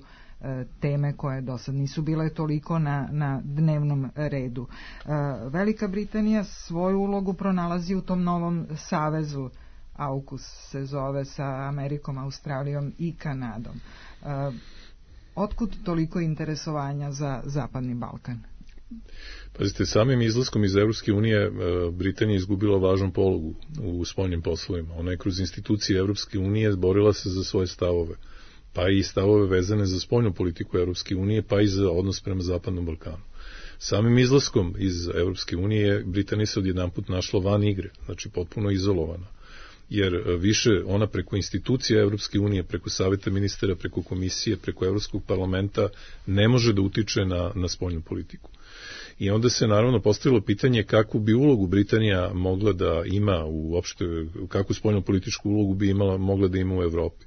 teme koje do sad nisu bile toliko na dnevnom redu. Velika Britanija svoju ulogu pronalazi u tom novom savezu, AUKUS se zove, sa Amerikom, Australijom i Kanadom. Otkud toliko interesovanja za Zapadni Balkan? Pazite, samim izlaskom iz Evropske unije Britanija izgubila važnu pologu u spoljnim poslovima. Ona je kroz institucije Evropske unije borila se za svoje stavove, pa i stavove vezane za spoljnu politiku Evropske unije, pa i za odnos prema Zapadnom Balkanu. Samim izlaskom iz Evropske unije Britanija se odjedanput našla van igre, znači potpuno izolovana. Jer više ona preko institucija Evropske unije, preko Saveta ministara, preko komisije, preko Evropskog parlamenta ne može da utiče na spoljnu politiku. I onda se naravno postavilo pitanje kakvu bi ulogu Britanija mogla da ima uopšte, kakvu spoljnu političku ulogu bi mogla da ima u Evropi.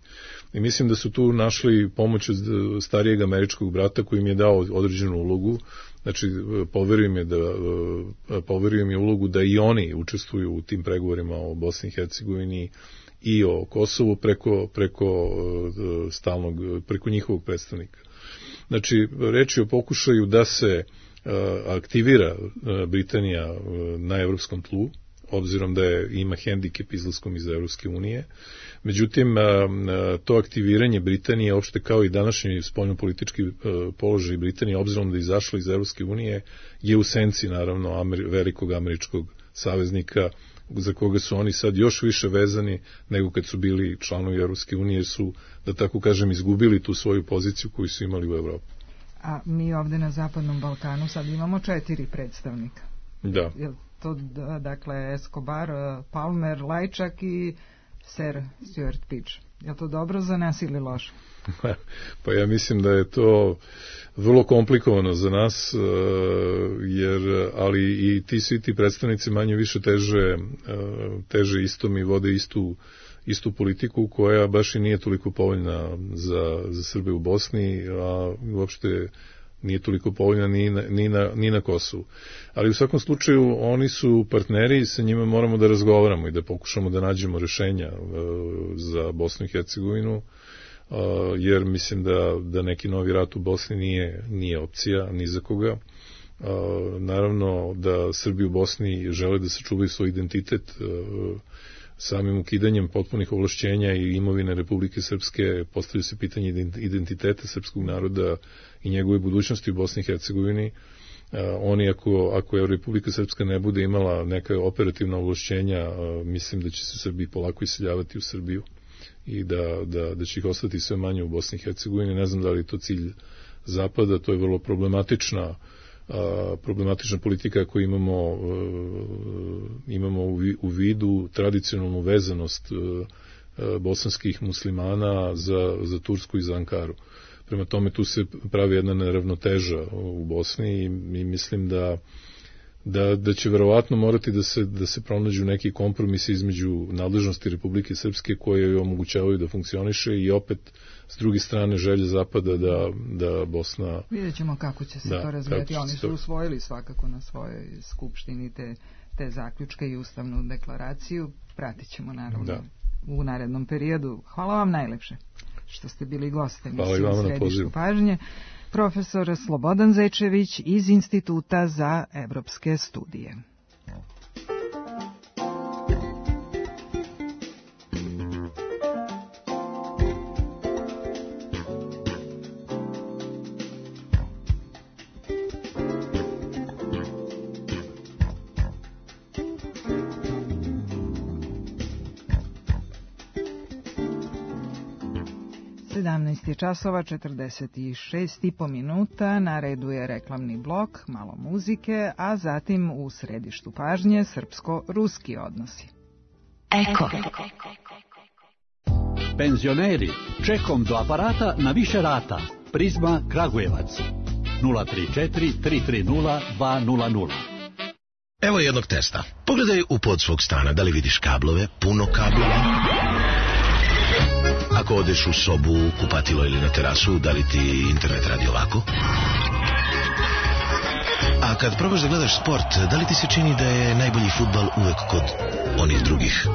I mislim da su tu našli pomoć od starijeg američkog brata koji im je dao određenu ulogu. Znači, poverio im je ulogu da i oni učestvuju u tim pregovorima o Bosni i Hercegovini i o Kosovu preko njihovog predstavnika. Znači, reč je o pokušaju da se aktivira Britanija na evropskom tlu, obzirom da ima hendikep izlaskom iz Evropske unije. Međutim, to aktiviranje Britanije, opšte kao i današnji spoljnopolitički položaj Britanije, obzirom da je izašla iz Evropske unije, je u senci, naravno, velikog američkog saveznika, za koga su oni sad još više vezani nego kad su bili članovi Evropske unije, su, da tako kažem, izgubili tu svoju poziciju koju su imali u Evropi. A mi ovde na Zapadnom Balkanu sad imamo 4 predstavnika. Da. Je to, dakle, Escobar, Palmer, Lajčak i Sir Stuart Peach. Je to dobro za nas ili loše? Pa ja mislim da je to vrlo komplikovano za nas, ali i svi ti predstavnici manje više teže istom i vode istu politiku koja baš i nije toliko povoljna za Srbe u Bosni, a uopšte nije toliko povoljna ni na Kosovu. Ali u svakom slučaju oni su partneri i sa njima moramo da razgovaramo i da pokušamo da nađemo rešenja za Bosnu i Hercegovinu, jer mislim da neki novi rat u Bosni nije opcija ni za koga. Naravno da Srbi u Bosni žele da sačuvaju svoj identitet. Samim ukidanjem potpunih ovlašćenja i imovine Republike Srpske postavlja se pitanje identiteta srpskog naroda i njegove budućnosti u Bosni i Hercegovini. Oni, ako je Republika Srpska ne bude imala neka operativna ovlašćenja, mislim da će se Srbi polako iseljavati u Srbiju i da će ih ostati sve manje u Bosni i Hercegovini. Ne znam da li je to cilj Zapada, to je vrlo problematična politika koju imamo u vidu tradicionalnu vezanost bosanskih muslimana za Tursku i za Ankaru. Prema tome tu se pravi jedna neravnoteža u Bosni i mislim da će verovatno morati da se pronađu neki kompromisi između nadležnosti Republike Srpske koje joj omogućavaju da funkcioniše i opet s druge strane želje Zapada da Bosna... Vidjet ćemo kako će se to razvijati. Oni su usvojili svakako na svojoj skupštini te zaključke i ustavnu deklaraciju. Pratit ćemo naravno u narednom periodu. Hvala vam najlepše što ste bili goste emisije u Središtu pažnje. Profesor Slobodan Zečević iz Instituta za evropske studije. 17 časova 46,5 minuta, na redu je reklamni blok, malo muzike, a zatim u središtu pažnje srpsko-ruski odnosi. Eko. Penzioneri, čekom do aparata na više rata. Prizma Kragujevac 034 330 200. Evo jednog testa. Pogledaj u pod svog stana, da li vidiš kablove, puno kablova. Ako odeš u sobu, kupatilo ili na terasu, da li ti internet radi ovako? A kad probaš da gledaš sport, da li ti se čini da je najbolji fudbal uvek kod onih drugih?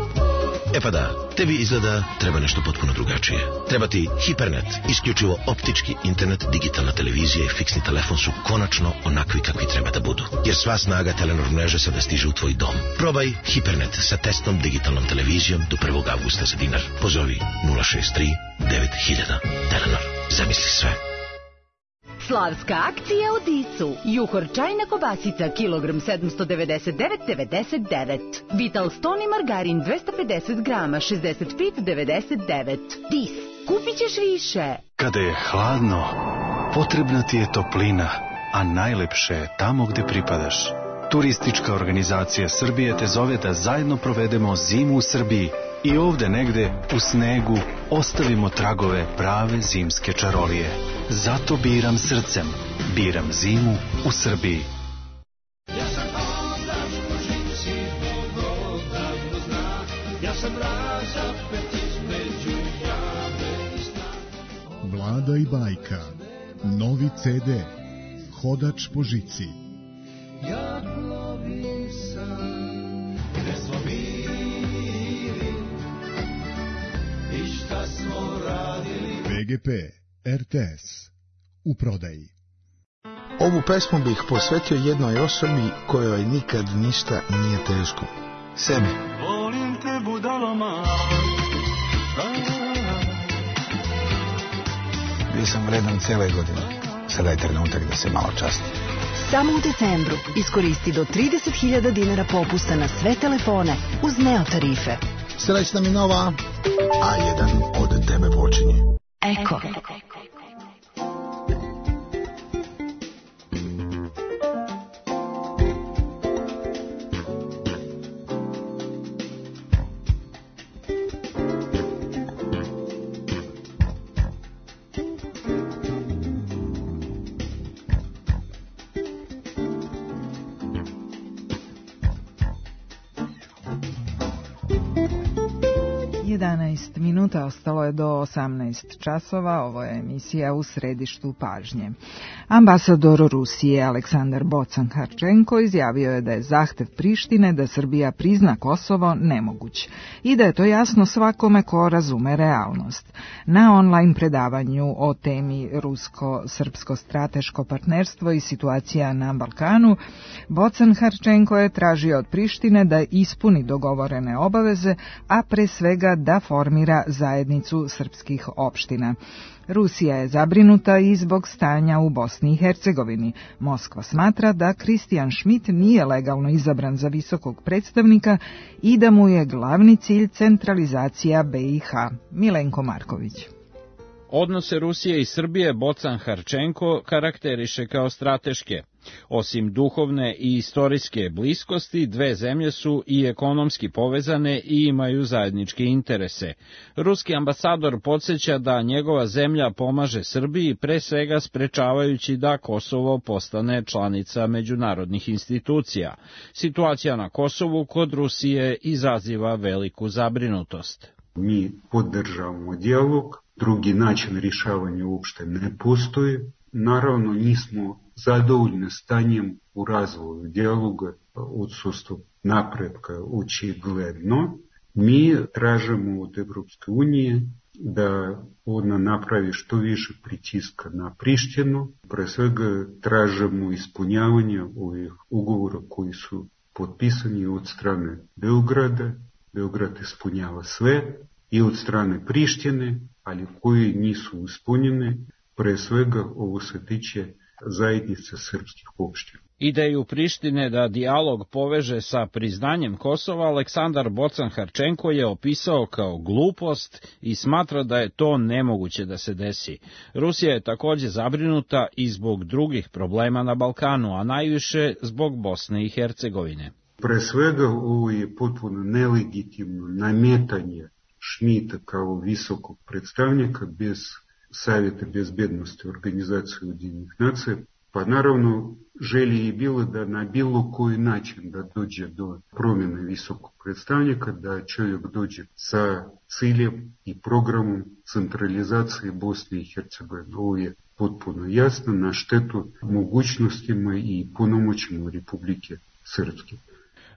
E pa da, tebi izgleda treba nešto potpuno drugačije. Treba ti Hipernet, isključivo optički internet, digitalna televizija i fiksni telefon su konačno onakvi kakvi treba da budu. Jer sva snaga Telenor mreže sada stiže u tvoj dom. Probaj Hipernet sa testnom digitalnom televizijom do 1. avgusta za dinar. Pozovi 063 9000. Telenor, zamisli sve. Slavska akcija u Dicu. Juhor čajna kobasica, kilogram 799,99. Vital Stoni margarin 250 grama, 65,99. Dis, kupit ćeš više. Kada je hladno, potrebna ti je toplina, a najlepše je tamo gde pripadaš. Turistička organizacija Srbije te zove da zajedno provedemo zimu u Srbiji i ovde negde u snegu ostavimo tragove prave zimske čarolije. Zato biram srcem, biram zimu u Srbiji. Ja sam hodač po žici, Bog odavno zna, ja sam razapet između jame i sna. Vlada i bajka, novi CD, Hodač po žici. Ja plovim sam, gde smo bili i šta smo radili. BGP, RTS, u prodaji. Ovu pesmu bih posvetio jednoj osobi kojoj nikad ništa nije teško. Sebi. Volim te budaloma. Bio sam vredan cijele godine. Sada je trenutak da se malo časti. Samo u decembru iskoristi do 30.000 dinara popusta na sve telefone uz Neo tarife. Srećna mi nova, A1 od tebe počinje. Eko. 11 minuta, ostalo je do 18 časova, ovo je emisija U središtu pažnje. Ambasador Rusije Aleksandar Bocan-Harčenko izjavio je da je zahtev Prištine da Srbija prizna Kosovo nemoguć i da je to jasno svakome ko razume realnost. Na online predavanju o temi rusko-srpsko strateško partnerstvo i situacija na Balkanu, Bocan-Harčenko je tražio od Prištine da ispuni dogovorene obaveze, a pre svega da formira zajednicu srpskih opština. Rusija je zabrinuta i zbog stanja u Bosni i Hercegovini. Moskva smatra da Kristijan Šmit nije legalno izabran za visokog predstavnika i da mu je glavni cilj centralizacija BiH. Milenko Marković. Odnose Rusije i Srbije Bocan-Harčenko karakteriše kao strateške. Osim duhovne i istorijske bliskosti, dve zemlje su i ekonomski povezane i imaju zajedničke interese. Ruski ambasador podsjeća da njegova zemlja pomaže Srbiji, pre svega sprečavajući da Kosovo postane članica međunarodnih institucija. Situacija na Kosovu kod Rusije izaziva veliku zabrinutost. Mi podržavamo dijalog, drugi način rješavanja uopšte ne postoji. Naravno, nismo zadovoljni stanjem u razvoju dijaloga, odsustvo napretka očigledno. Mi tražimo od Evropske unije da ona napravi što više pritiska na Prištinu. Pre svega tražimo ispunjavanje ovih ugovora koji su potpisani od strane Beograda. Beograd ispunjava sve i od strane Prištine, ali koji nisu ispunjene. Pre svega ovo se tiče zajednice srpskih opština. Ideju Prištine da dijalog poveže sa priznanjem Kosova Aleksandar Bocan-Harčenko je opisao kao glupost i smatra da je to nemoguće da se desi. Rusija je također zabrinuta i zbog drugih problema na Balkanu, a najviše zbog Bosne i Hercegovine. Pre svega ovo je potpuno nelegitimno nametanje Šmita kao visokog predstavnika bez Savjeta bezbednosti Organizacije Ujedinjenih nacija, pa naravno želje je bilo da na bilo koji način da dođe do promjene visokog predstavnika, da čovjek dođe sa ciljem i programom centralizacije Bosne i Hercegovine. Ovo je potpuno jasno na štetu mogućnostima i punomoćima Republike Srpske.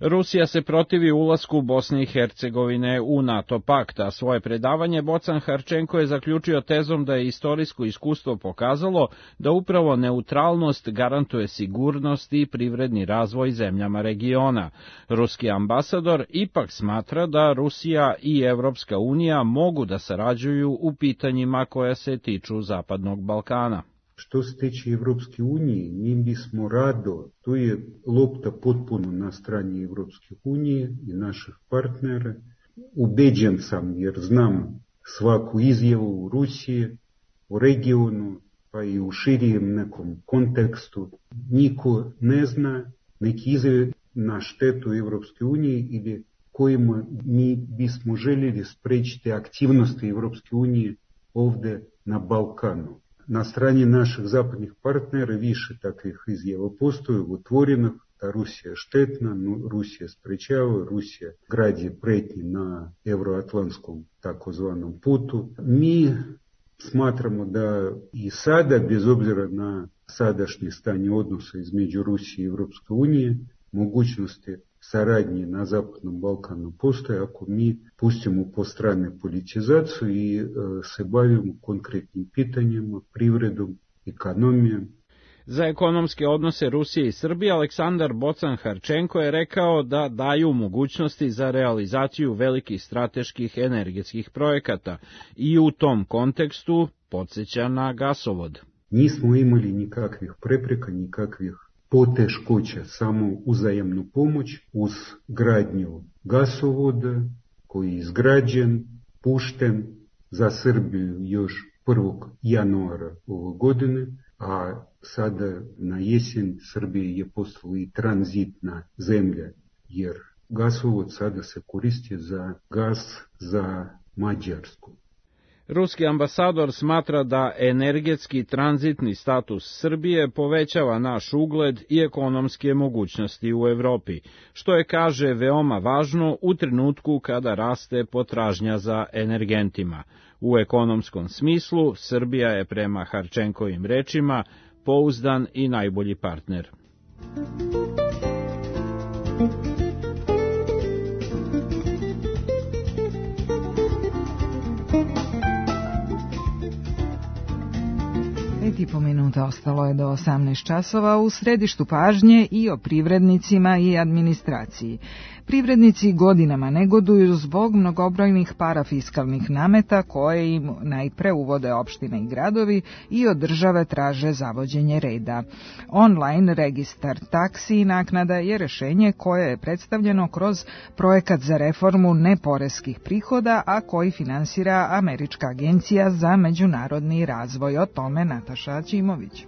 Rusija se protivi ulasku Bosne i Hercegovine u NATO pakt, a svoje predavanje Bocan-Harčenko je zaključio tezom da je istorijsko iskustvo pokazalo da upravo neutralnost garantuje sigurnost i privredni razvoj zemljama regiona. Ruski ambasador ipak smatra da Rusija i Evropska unija mogu da sarađuju u pitanjima koja se tiču Zapadnog Balkana. Što se tiče Evropske unije, mi bismo rado, to je lopta potpuno na strani Evropske unije i naših partnera. Ubeđen sam jer znam svaku izjavu u Rusiji, u regionu, pa i u širijem nekom kontekstu. Niko ne zna neki izjave na štetu Evropske unije ili kojima mi bismo željeli sprečiti aktivnosti Evropske unije ovdje na Balkanu. Na strani naših zapadnih partnera više takvih izjava postoji otvorenih, da Rusija je štetna, Rusija sprečava, Rusija gradi pretnje na euroatlantskom takozvanom putu. Mi smatramo da i sada, bez obzira na sadašnje stanje odnosa između Rusije i Evropske unije, mogućnosti saradnje na Zapadnom Balkanu postoje ako mi pustimo po strane politizaciju i se bavimo konkretnim pitanjima, privredom, ekonomijom. Za ekonomske odnose Rusije i Srbije Aleksandar Bocan-Harčenko je rekao da daju mogućnosti za realizaciju velikih strateških energetskih projekata i u tom kontekstu podsjeća na gasovod. Nismo imali nikakvih prepreka, nikakvih poteškoća, samo uzajamnu pomoć uz gradnju gasovoda koji je izgrađen, pušten za Srbiju još 1. januara ove godine, a sada na jesen Srbija je postala i tranzitna zemlja, jer gasovod sada se koristi za gas za Mađarsku. Ruski ambasador smatra da energetski tranzitni status Srbije povećava naš ugled i ekonomske mogućnosti u Evropi, što je, kaže, veoma važno u trenutku kada raste potražnja za energentima. U ekonomskom smislu, Srbija je prema Harčenkovim rečima pouzdan i najbolji partner. I po minuta ostalo je do 18 časova. U središtu pažnje i o privrednicima i administraciji. Privrednici godinama negoduju zbog mnogobrojnih parafiskalnih nameta koje im najpre uvode opštine i gradovi i od države traže zavođenje reda. Online registar taksi i naknada je rešenje koje je predstavljeno kroz projekat za reformu neporeskih prihoda, a koji finansira Američka agencija za međunarodni razvoj. O tome Nataša Ćimović.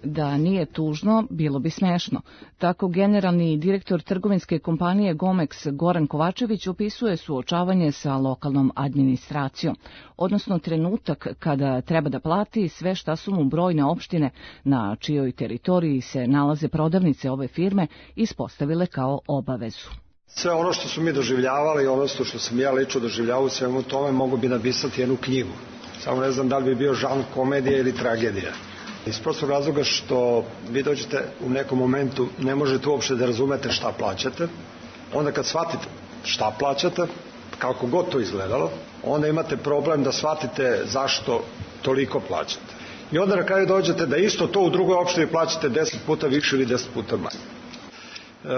Da nije tužno, bilo bi smešno. Tako generalni direktor trgovinske kompanije Gomex Goran Kovačević opisuje suočavanje sa lokalnom administracijom, odnosno trenutak kada treba da plati sve šta su mu brojne opštine na čijoj teritoriji se nalaze prodavnice ove firme ispostavile kao obavezu. Sve ono što su mi doživljavali, ono što sam ja lično doživljavao u svemu tome, mogu bi napisati jednu knjigu. Samo ne znam da li bi bio žanr komedija ili tragedija. Iz prostog razloga što vi dođete u nekom momentu, ne možete uopšte da razumete šta plaćate. Onda kad shvatite šta plaćate, kako god to izgledalo, onda imate problem da shvatite zašto toliko plaćate. I onda na kraju dođete da isto to u drugoj opštini plaćate 10 puta više ili 10 puta manje.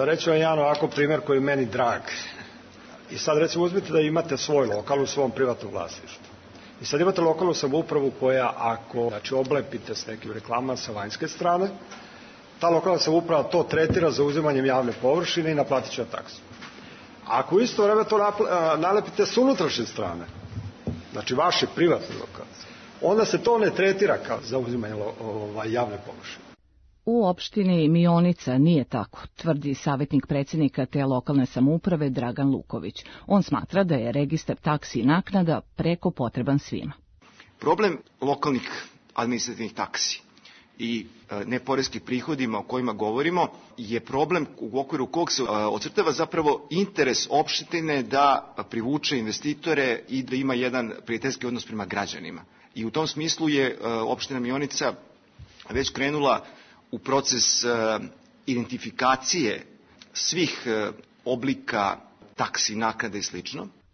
Reću vam jedan ovako primjer koji je meni drag. I sad recimo uzmite da imate svoj lokal u svom privatnom vlasništvu. I sad imate lokalnu samoupravu koja ako oblepite s nekim reklamama sa vanjske strane, ta lokalna samouprava to tretira za uzimanjem javne površine i naplatit će taksu. A ako u isto vreme to nalepite s unutrašnje strane, znači vaši privatni lokal, onda se to ne tretira kao za uzimanje javne površine. U opštini Mionica nije tako, tvrdi savjetnik predsjednika te lokalne samouprave Dragan Luković. On smatra da je registar taksi i naknada preko potreban svima. Problem lokalnih administrativnih taksi i neporeskih prihodima o kojima govorimo je problem u okviru kog se ocrtava zapravo interes opštine da privuče investitore i da ima jedan prijateljski odnos prema građanima. I u tom smislu je opština Mionica već krenula u proces identifikacije svih oblika taksi, naknada i sl.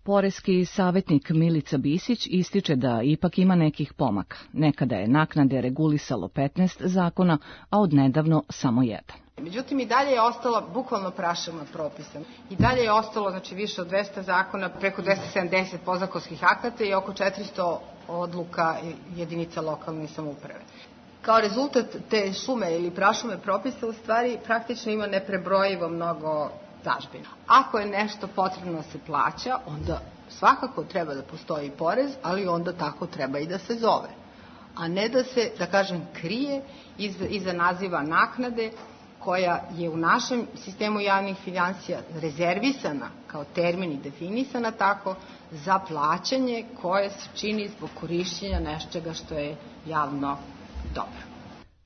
Poreski savjetnik Milica Bisić ističe da ipak ima nekih pomaka. Nekada je naknade regulisalo 15 zakona, a odnedavno samo jedan. Međutim, i dalje je ostala bukvalno prašuma propisa. I dalje je ostalo više od 200 zakona, preko 270 podzakonskih akata i oko 400 odluka jedinica lokalne samouprave. Kao rezultat te šume ili prašume propisa u stvari praktično ima neprebrojivo mnogo dažbina. Ako je nešto potrebno da se plaća, onda svakako treba da postoji porez, ali onda tako treba i da se zove. A ne da se, da kažem, krije iza naziva naknade koja je u našem sistemu javnih finansija rezervisana kao termin i definisana tako za plaćanje koje se čini zbog korišćenja nečega što je javno dobro.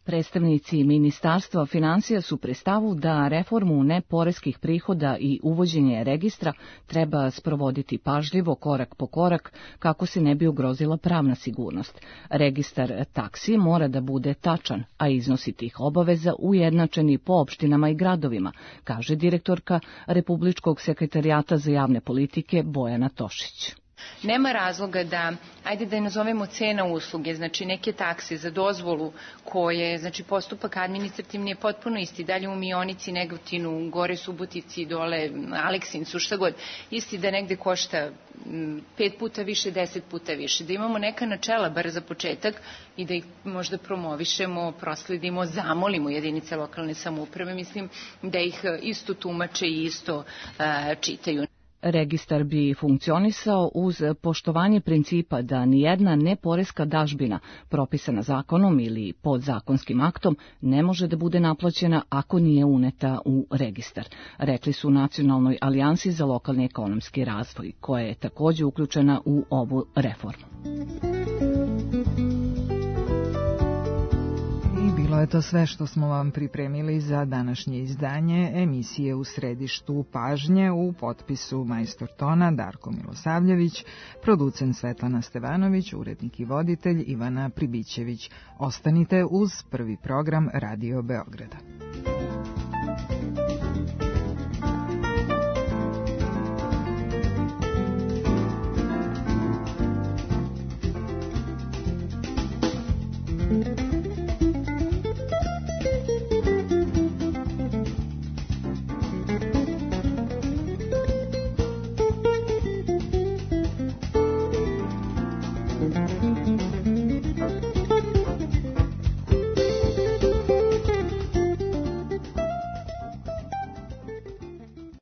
Predstavnici Ministarstva finansija su pri stavu da reformu neporeskih prihoda i uvođenje registra treba sprovoditi pažljivo, korak po korak, kako se ne bi ugrozila pravna sigurnost. Registar taksi mora da bude tačan, a iznosi tih obaveza ujednačeni po opštinama i gradovima, kaže direktorka Republičkog sekretarijata za javne politike Bojana Tošić. Nema razloga da, ajde da je nazovemo cena usluge, znači neke takse za dozvolu koje, znači postupak administrativni je potpuno isti, dalje u Mionici, Negotinu, gore Subotici, dole Aleksincu, šta god, isti da negde košta 5 puta više, 10 puta više, da imamo neka načela bar za početak i da ih možda promovišemo, prosledimo, zamolimo jedinice lokalne samouprave, mislim da ih isto tumače i isto čitaju. Registar bi funkcionisao uz poštovanje principa da nijedna neporeska dažbina propisana zakonom ili podzakonskim aktom ne može da bude naplaćena ako nije uneta u registar, rekli su u Nacionalnoj alijansi za lokalni ekonomski razvoj, koja je takođe uključena u ovu reformu. Bilo je to sve što smo vam pripremili za današnje izdanje emisije U središtu pažnje, u potpisu majstor tona Darko Milosavljević, producent Svetlana Stevanović, urednik i voditelj Ivana Pribićević. Ostanite uz prvi program Radio Beograda.